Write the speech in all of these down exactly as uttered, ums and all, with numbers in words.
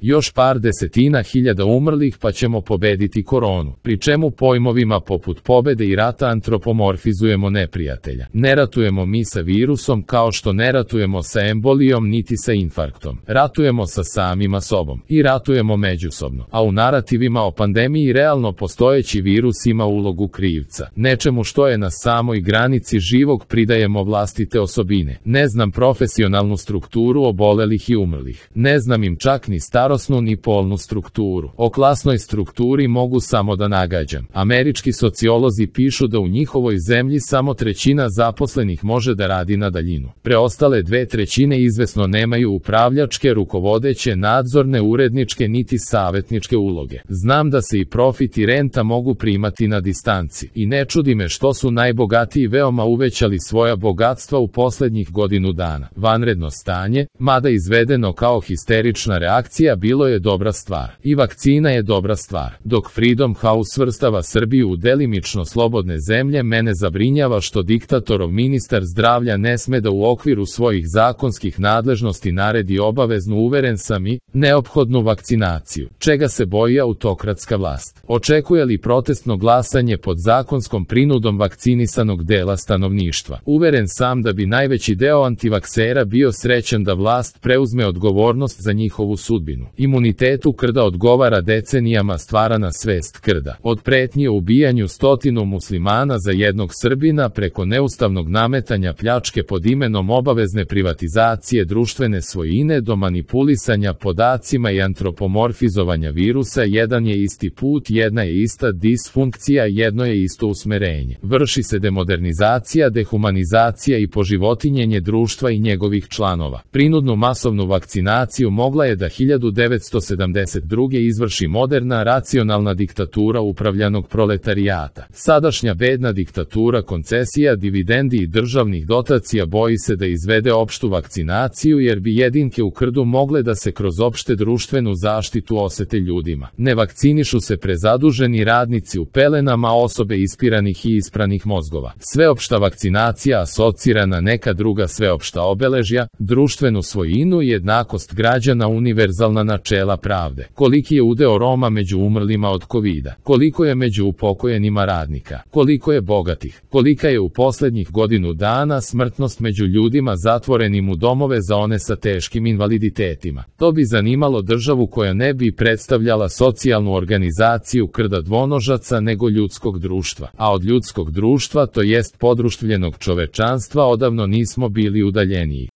Još par desetina hiljada umrlih pa ćemo pobediti koronu, pri čemu pojmovima poput pobede i rata antropomorfizujemo neprijatelja. Ne ratujemo mi sa virusom kao što ne ratujemo sa embolijom niti sa infarktom. Ratujemo sa samima sobom i ratujemo međusobno. A u narativima o pandemiji realno postojeći virus ima ulogu krivca. Nečemu što je na samoj granici živog pridajemo vlastite osobine. Ne znam profesionalnu strukturu obolelih i umrlih. Ne znam im čak ni starosnu ni polnu strukturu. O klasnoj strukturi mogu samo da nagađam. Američki sociolozi pišu da u njihovoj zemlji samo trećina zaposlenih može da radi na daljinu. Preostale dve trećine izvesno nemaju upravljačke, rukovodeće, nadzorne, uredničke niti savetničke uloge. Znam da se i profit i renta mogu primati na distanci. I ne čudi me što su najbogatiji veoma uvećali svoja bogatstva u poslednjih godinu dana. Vanredno stanje, mada izvedeno kao histerična reakcija, bilo je dobra stvar. I vakcina je dobra stvar. Dok Freedom House svrstava Srbiju u delimično slobodne zemlje, mene zabrinjava što diktatorov ministar zdravlja ne sme da u okviru svojih zakonskih nadležnosti naredi obaveznu, uveren sam, i neophodnu vakcinaciju. Čega se boji autokratska vlast? Očekuje li protestno glasanje pod zakonskom prinudom vakcinisanog dela stanovništva? Uveren sam da bi najveći deo antivaksera bio srećan da vlast preuzme odgovornost za njihovu sudbinu. Imunitetu krda odgovara decenijama stvarana svest krda. Od pretnje o ubijanju stotinu muslimana za jednog Srbina preko neustavnog nametanja pljačke pod imenom obavezne privatizacije društvene svojine do manipulisanja podacima i antropomorfizovanja virusa, jedan je isti put, jedna je ista disfunkcija, jedno je isto usmerenje. Vrši se demodernizacija, dehumanizacija i poživotinjenje društva i njegovih članova. Prinudnu masovnu vakcinaciju mogla je da hiljadu devetsto sedamdeset druge izvrši moderna, racionalna diktatura upravljanog proletarijata. Sadašnja bedna diktatura koncesija, dividendi i državnih dotacija boji se da izvede opštu vakcinaciju jer bi jedinke u krdu mogle da se kroz opšte društvenu zaštitu osete ljudima. Ne vakcinišu se prezaduženi radnici u pelenama, osobe ispiranih i ispranih mozgova. Sveopšta vakcinacija asocira na neka druga sveopšta obeležja, društvenu svojinu i jednakost građana, univerzalna načela pravde. Koliki je udeo Roma među umrlima od kovida? Koliko je među upokojenima radnika? Koliko je bogatih? Kolika je u poslednjih godinu dana smrtnost među ljudima zatvorenim u domove za one sa teškim invaliditetima? To bi zanimalo državu koja ne bi predstavljala socijalnu organizaciju krda dvonožaca nego ljudskog društva. A od ljudskog društva, to jest podruštvljenog čovečanstva, odavno nismo bili udaljeniji.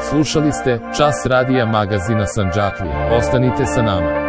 Slušali ste Čas radija magazina Sandžaklija. Ostanite sa nama.